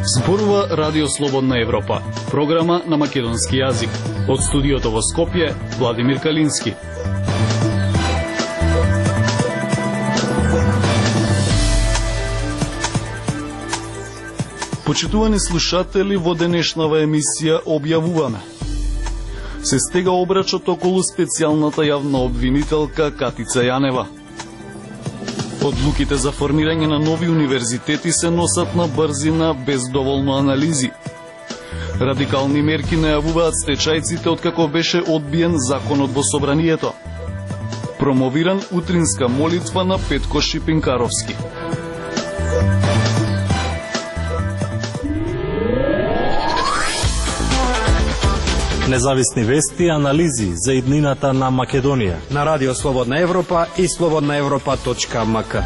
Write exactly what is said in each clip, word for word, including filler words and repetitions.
Зборува Радио Слободна Европа, програма на македонски јазик. Од студиото во Скопје, Владимир Калински. Почитувани слушатели, во денешнава емисија објавуваме: се стега обрачот околу специјалната јавна обвинителка Катица Јанева. Одлуките за формирање на нови универзитети се носат на брзина без доволно анализи. Радикални мерки најавуваат стечајците откако беше одбиен законот во собранието. Промовиран утринска молитва на Петко Шипинкаровски. Независни вести и анализи за иднината на Македонија на Радио Слободна Европа и слободна европа точка ем ка.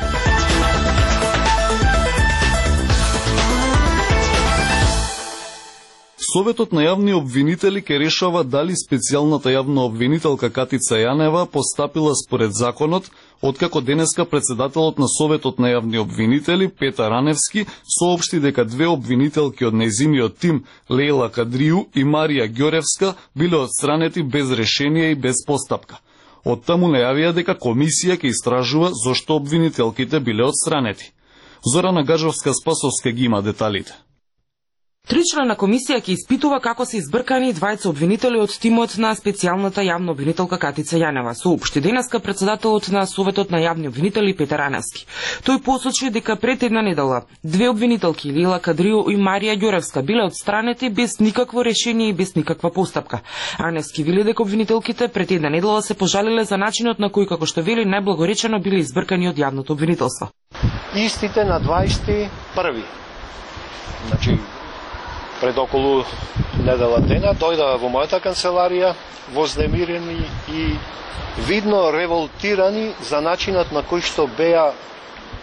Советот на јавни обвинители ке решава дали специјалната јавна обвинителка Катица Јанева постапила според законот, откако денеска председателот на Советот на јавни обвинители Петар Раневски соопшти дека две обвинителки од нејзиниот тим, Лејла Кадрију и Марија Ѓоревска, биле отстранети без решение и без постапка. Од таму најавија дека комисија ќе истражува зошто обвинителките биле отстранети. Зорана Гаджовска-Спасовска ги има деталите. Тричлена комисија ќе испитува како се избркани двајца обвинители од тимот на специјалната јавна обвинителка Катица Јанева, соопшти денеска председателот на Советот на јавни обвинители Петар Раневски. Тој посочи дека пред една недела две обвинителки, Лејла Кадрију и Марија Ѓоревска, биле отстранети без никакво решение и без никаква постапка. Раневски вели дека обвинителките пред една недела се пожалиле за начинот на кој, како што вели, најблагоречено биле избркани од јавното обвинителство. Истите на дваесет и први. Значи, пред околу недела дена дојдаа во мојата канцеларија вознемирени и видно револтирани за начинот на кој што беа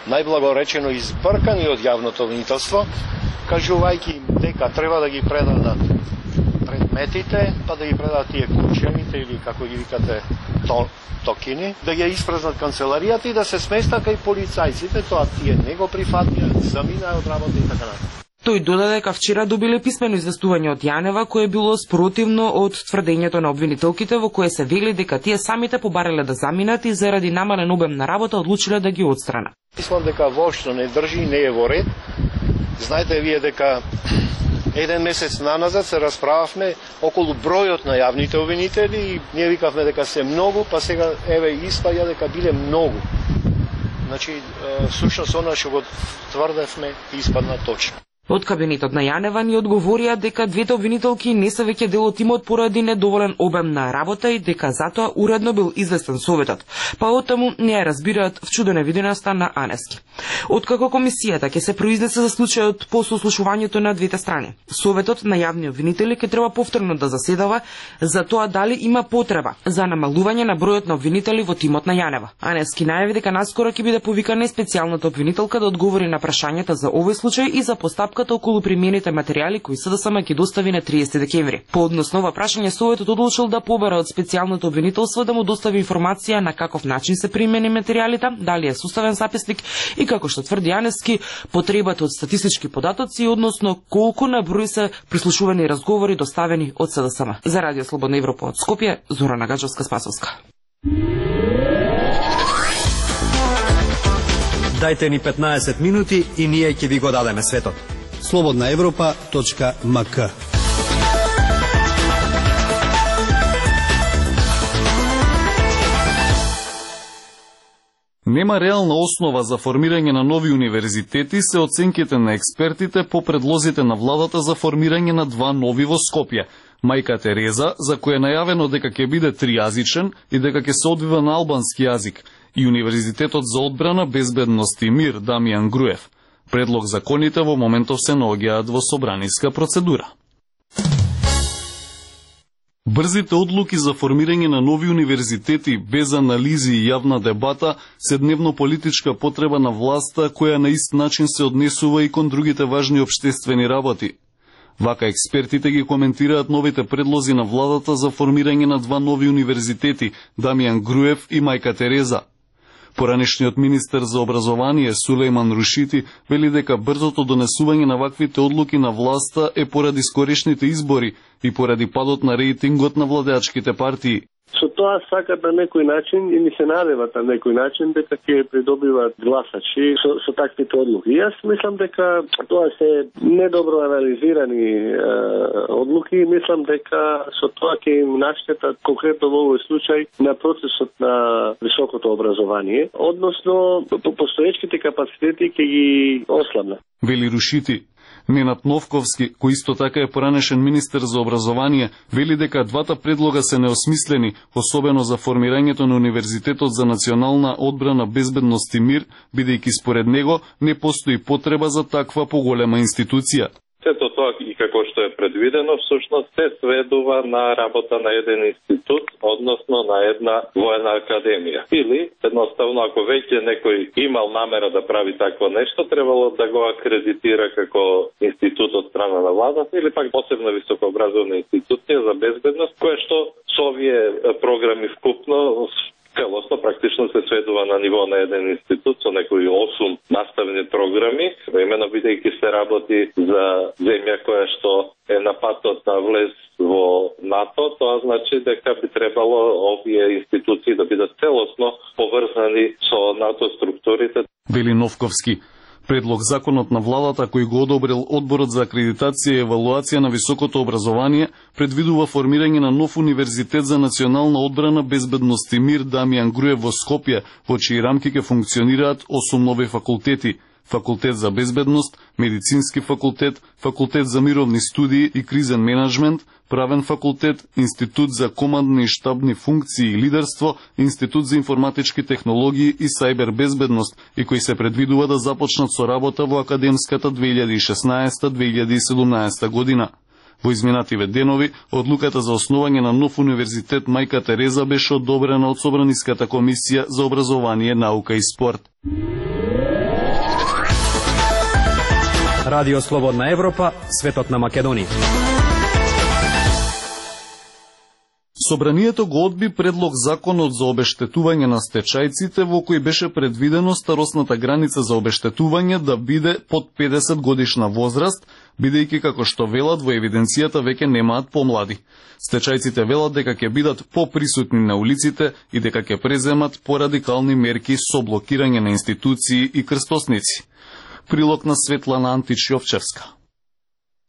најблагоречено избркани од јавното обвинителство, кажувајќи им дека треба да ги предадат предметите, па да ги предадат тие кучените или како ги викате токини, да ги испразнат канцеларијата и да се сместат кај полицајците, тоа тие не го прифатија, заминаа од работа и така натаму. Тој додаде дека вчера добиле писмено известување од Јанева кое било спротивно од тврдењето на обвинителките, во кое се вели дека тие самите побарале да заминат и заради намален обем на работа одлучиле да ги отстранат. Мислам дека воопшто не држи, не е во ред. Знаете вие дека еден месец наназад се расправавме околу бројот на јавните обвинители и ние викавме дека се многу, па сега еве испаѓа дека биле многу. Значи, сушност она што го тврдевме испадна точно. Од кабинетот на Јанева ни одговорија дека двете обвинителки не се веќе дел од тимот поради недоволен обем на работа и дека затоа уредно бил известен Советот. Па оттаму не ја разбираат вчудоневиденоста на Аневски. Откако комисијата ќе се произнесе за случајот по сослушувањето на двете страни, Советот на јавни обвинители ќе треба повторно да заседава за тоа дали има потреба за намалување на бројот на обвинители во тимот на Јанева. Аневски најави дека наскоро ќе биде повикана специјалната обвинителка да одговори на прашањата за овој случај и за постапката околу примените материјали кои СДСМ ќе достави на триесети декември. По однос на ова прашање, Советот одлучил да побара од специјалното обвинителство да му достави информација на каков начин се примени материјалите, дали е составен записник и како што тврди Аневски, потребата од статистички податоци, односно колку на број се прислушувани разговори доставени од СДСМ. За Радио Слободна Европа од Скопје, Зорана Гаджовска-Спасовска. Дајте ни петнаесет минути и ние ќе ви го дадеме светот. слободна европа точка ем ка. Нема реална основа за формирање на нови универзитети се оценките на експертите по предлозите на владата за формирање на два нови во Скопје. Мајка Тереза, за која е најавено дека ќе биде тријазичен и дека ќе се одвива на албански јазик, и Универзитетот за одбрана, безбедност и мир Дамјан Груев. Предлог законите во моментов се наоѓаат во собраниска процедура. Брзите одлуки за формирање на нови универзитети без анализи и јавна дебата се дневно политичка потреба на власта која на ист начин се однесува и кон другите важни општествени работи. Вака експертите ги коментираат новите предлози на владата за формирање на два нови универзитети, Дамјан Груев и Мајка Тереза. Поранешниот министер за образование Сулејман Рушити вели дека брзото донесување на ваквите одлуки на власта е поради скорешните избори и поради падот на рейтингот на владеачките партии. Со тоа сакат на некој начин и ни се надеват на некој начин дека ќе придобиваат гласачи со, со таквите одлуки. Јас мислам дека тоа се недобро анализирани е, одлуки и мислам дека со тоа ќе им наштетат конкретно во овој случај на процесот на високото образование, односно постоечките капацитети ќе ги ослабна. Вели Рушити. Ненад Новковски, кој исто така е поранешен министер за образование, вели дека двата предлога се неосмислени, особено за формирањето на Универзитетот за национална одбрана, безбедност и мир, бидејќи според него не постои потреба за таква поголема институција. Сето тоа и како што е предвидено, всушност се сведува на работа на еден институт, односно на една воена академија. Или, едноставно, ако веќе некој имал намера да прави такво нешто, требало да го акредитира како институт од страна на владата или пак посебна високообразовна институција за безбедност, која што со овие програми вкупно целосно практично се сведува на ниво на еден институт со некои осум наставни програми, именно бидејќи се работи за земја која што е на патот на влез во НАТО, тоа значи дека би требало овие институции да бидат целосно поврзани со НАТО структурите. Вели Новковски. Предлог законот на владата кој го одобрил Одборот за акредитација и евалуација на високото образование предвидува формирање на нов универзитет за национална одбрана, безбедност и мир Дамјан Груев во Скопје, во чии рамки ќе функционираат осум нови факултети: Факултет за безбедност, Медицински факултет, Факултет за мировни студии и кризен менеджмент, Правен факултет, Институт за командни и штабни функции и лидерство, Институт за информатички технологии и сајбер безбедност, и кои се предвидува да започнат со работа во академската две илјади и шеснаесета две илјади и седумнаесета година. Во изминативе денови, одлуката за основање на нов универзитет Мајка Тереза беше одобрена од Собраниската комисија за образование, наука и спорт. Радио Слободна Европа, светот на Македонија. Собранието го одби предлог законот за обештетување на стечајците, во кој беше предвидено старосната граница за обештетување да биде под педесет годишна возраст, бидејќи како што велат во евиденцијата веќе немаат помлади. Стечајците велат дека ќе бидат поприсутни на улиците и дека ќе преземат порадикални мерки со блокирање на институции и крстосници. Прилог на Светлана Антич-Јовчевска.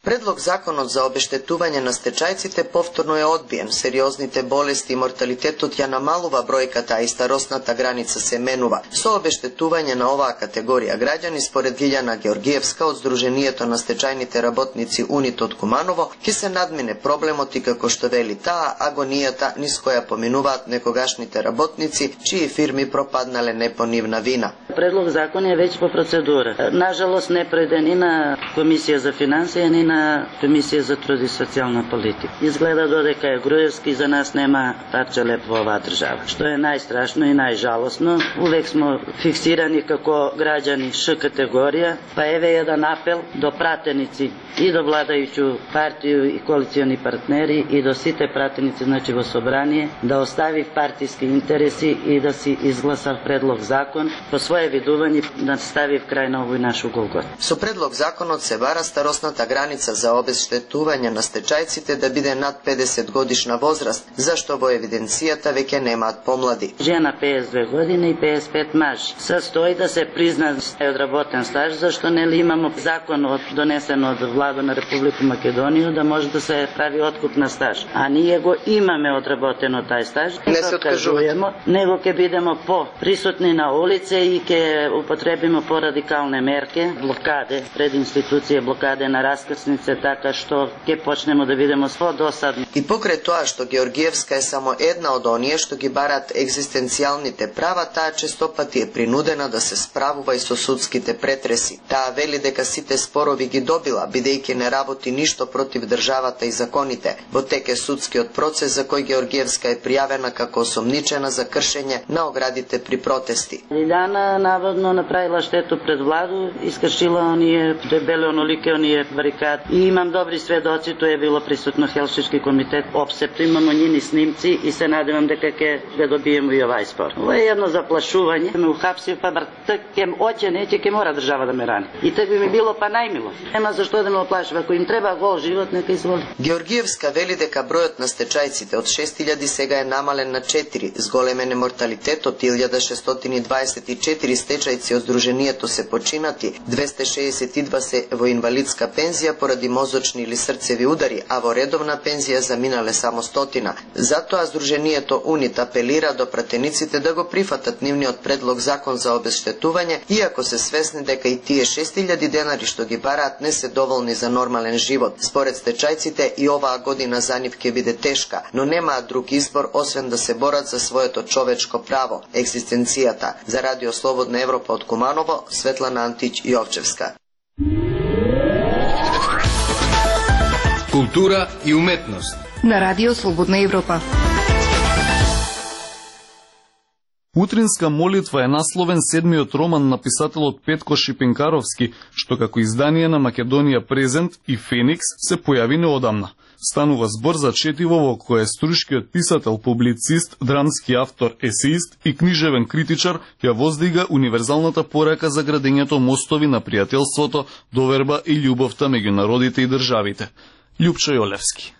Предлог законот за обештетување на стечајците повторно е одбиен. Сериозните болести и морталитетот ја намалува бројката, а и старосната граница се менува. Со обештетување на оваа категорија граѓани, според Лиљана Георгиевска од Сдруженијето на стечајните работници УНИТ од Куманово, ќе се надмине проблемот и како што вели таа, агонијата низ која поминуваат некогашните работници, чии фирми пропаднале не по нивна вина. Предлог закон е веќе по процедура. Нажалост не преде ни на Комисија за финансија, ни на Комисија за труд и социјална политика. Изгледа додека е Груевски, за нас нема парче леп во оваа држава. Што е најстрашно и најжалосно, увек смо фиксирани како граѓани Ш категорија, па еве еден апел до пратеници и до владајуќу партију и коалициони партнери и до сите пратеници, значи во собрание, да остави партиски интереси и да си изгласа предлог закон по свое видување да стави в крај на овој наш голгот. Со предлог законот се бара старосната граница за обештетување на стечајците да биде над педесет годишна возраст, зашто во евиденцијата веќе немаат помлади. Жена пеесет и две години и пеесет и пет маж. Состои да се призна одработен стаж, зашто нели имамо закон од донесен од влада на Република Македонија да може да се прави откуп на стаж. А ние го имаме одработено тај стаж. Не се откажуваме. Него ќе бидеме по присутни на улице и ќе употребиме порадикалне мерки, блокаде пред институција, блокаде на раскрснице, така што ќе почнеме да видиме со досадни. И покрај тоа што Георгиевска е само една од оние што ги барат екзистенцијалните права, таа честопати е принудена да се справува и со судските претреси. Таа вели дека сите спорови ги добила, бидејќи не работи ништо против државата и законите. Во тек е судскиот процес за кој Георгиевска е пријавена како осомничена за кршење на оградите при протести. Лиљана наводно направила штету пред владу, искршила оние дебеле онолике оние барикади и имам добри сведоци, тоа е било присутно Хелшички комитет, опсепто имамо njini снимци и се надевам дека ќе го добиеме и овај спор. Ова е едно заплашување, ме ухапсив, па бар так кем оќе неќе ќе мора држава да ме рани. И так би ми било па најмило. Нема зашто да ме оплашува, ако им треба гол живот, нека изволи. Георгиевска вели дека бројот на стечајците од шест илјади сега е намален на четири, зголемен е морталитетот, илјада шестстотини дваесет и четири стечајци од Сдруженијето се починати, двесте шеесет и два се во инвалидска пензија поради мозочни или срцеви удари, а во редовна пензија заминале само стотина. Затоа Сдруженијето УНИТ апелира до пратениците да го прифатат нивниот предлог закон за обештетување, иако се свесни дека и тие шест илјади денари што ги бараат не се доволни за нормален живот. Според стечајците и оваа година за нив ќе биде тешка, но немаат друг избор освен да се борат за своето човечко право, екзистенцијата. За Радио Слободна Европа од Куманово, Светлана Антич Јовчевска. Култура и уметност на Радио Слободна Европа. Утринска молитва е насловен седмиот роман на писателот Петко Шипинкаровски, што како издание на Македонија Презент и Феникс се појави неодамна. Станува збор за четиво во кое струшкиот писател, публицист, драмски автор, есеист и книжевен критичар ја воздига универзалната порака за градењето мостови на пријателството, доверба и љубовта меѓу народите и државите. Љупчо Јолевски.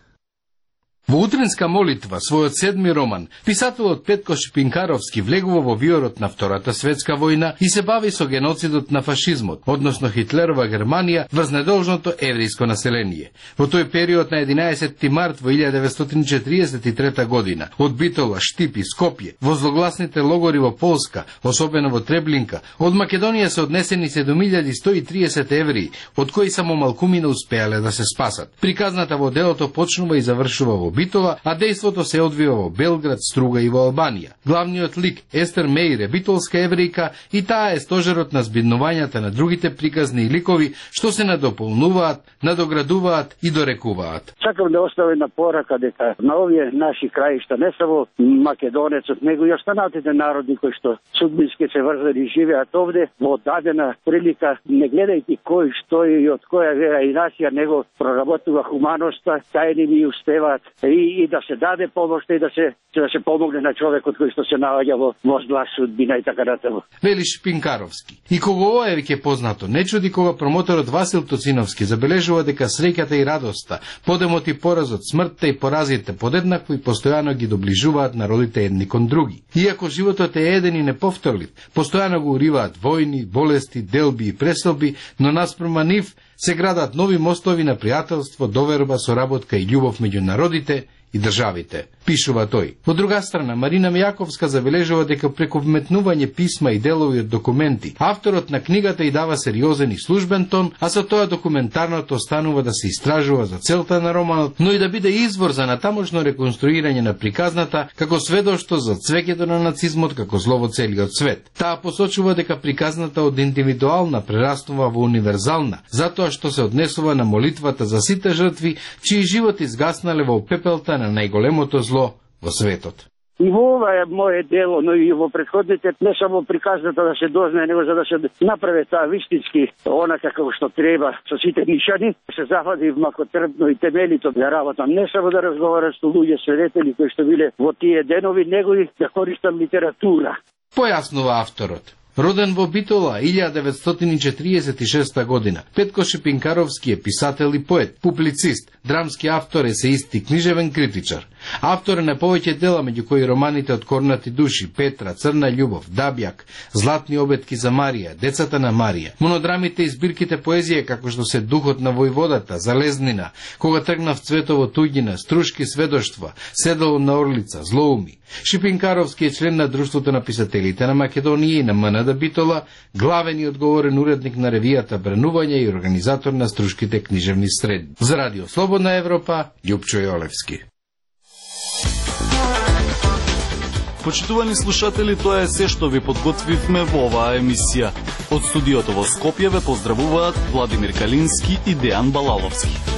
Во Утринска молитва, својот седми роман, писателот Петко Шипинкаровски влегува во виорот на Втората светска војна и се бави со геноцидот на фашизмот, односно Хитлерова Германија врз недолжното еврејско население. Во тој период на единаесетти март во илјада деветстотини четириесет и трета година, од Битола, Штип и Скопје, во злогласните логори во Полска, особено во Треблинка, од Македонија се однесени седум илјади сто и триесет евреи, од кои само малкумина успеале да се спасат. Приказната во делото почнува и завршува во Битола, а дејството се одвива во Белград, Струга и во Албанија. Главниот лик Естер Меир е битолска еврејка и таа е стожерот на збиднувањата на другите приказни ликови што се надополнуваат, надоградуваат и дорекуваат. Сакам да оставам на порака дека на овие наши краишта, не само македонецот, него и останатите народи кои што судбински се врзани живеат овде, во дадена прилика, не гледајќи кој што е и од која вера и нација, него проработува хуманоста, тајни ми успеваат и, и да се даде помош и да се да се помогне на човекот кој што се наоѓа во во зла судбина и така натаму. Вели Шпинкаровски. И кога ова е веќе познато, не чуди кога промоторот Васил Тоциновски забележува дека среќата и радоста, подемот и поразот, смртта и поразите подеднакво и постојано ги доближуваат народите едни кон други. Иако животот е еден и неповторлив, постојано го уриваат војни, болести, делби и преселби, но наспрема нив се градат нови мостови на пријателство, доверба, соработка и љубов меѓу народите и државите, пишува тој. Од друга страна, Марина Мејаковска забележува дека преку вметнување писма и делови од документи, авторот на книгата и дава сериозен и службен тон, а со тоа документарното останува да се истражува за целта на романот, но и да биде извор за натамошно реконструирање на приказната како сведоштво за цвеќето на нацизмот како зло во целиот свет. Таа посочува дека приказната од индивидуална прераснува во универзална, затоа што се однесува на молитвата за сите жртви, чии живот изгаснале во пепелта на најголемото зло во светот. И во ова е моје дело, но и во претходните, не само приказната да се дознае, него за да се направи таа вистински, онака како што треба со сите нишани, се зафади макотрпно и темелито да работам, не само да разговарам со луѓе свидетели кои што биле во тие денови, него и да користам литература. Појаснува авторот. Роден во Битола илјада деветстотини четириесет и шеста година, Петко Шипинкаровски е писател и поет, публицист, драмски автор, есеист и книжевен критичар. Автор на повеќе дела, меѓу кои романите Од корнати души, Петра, Црна љубов, Дабјак, Златни обетки за Марија, Децата на Марија, монодрамите и збирките поезија како што се Духот на војводата, Залезнина, Кога тргнав цветово туѓина, Струшки сведоштва, Седало на орлица, Злоуми. Шипинкаровски е член на Друштвото на писателите на Македонија и на МНД Битола, главен и одговорен уредник на ревијата Бранување и организатор на Струшките книжевни средби. За Радио Слободна Европа, Љупчо Јолевски. Почитувани слушатели, тоа е се што ви подготвивме во оваа емисија. Од студиото во Скопје ве поздравуваат Владимир Калински и Дејан Балаловски.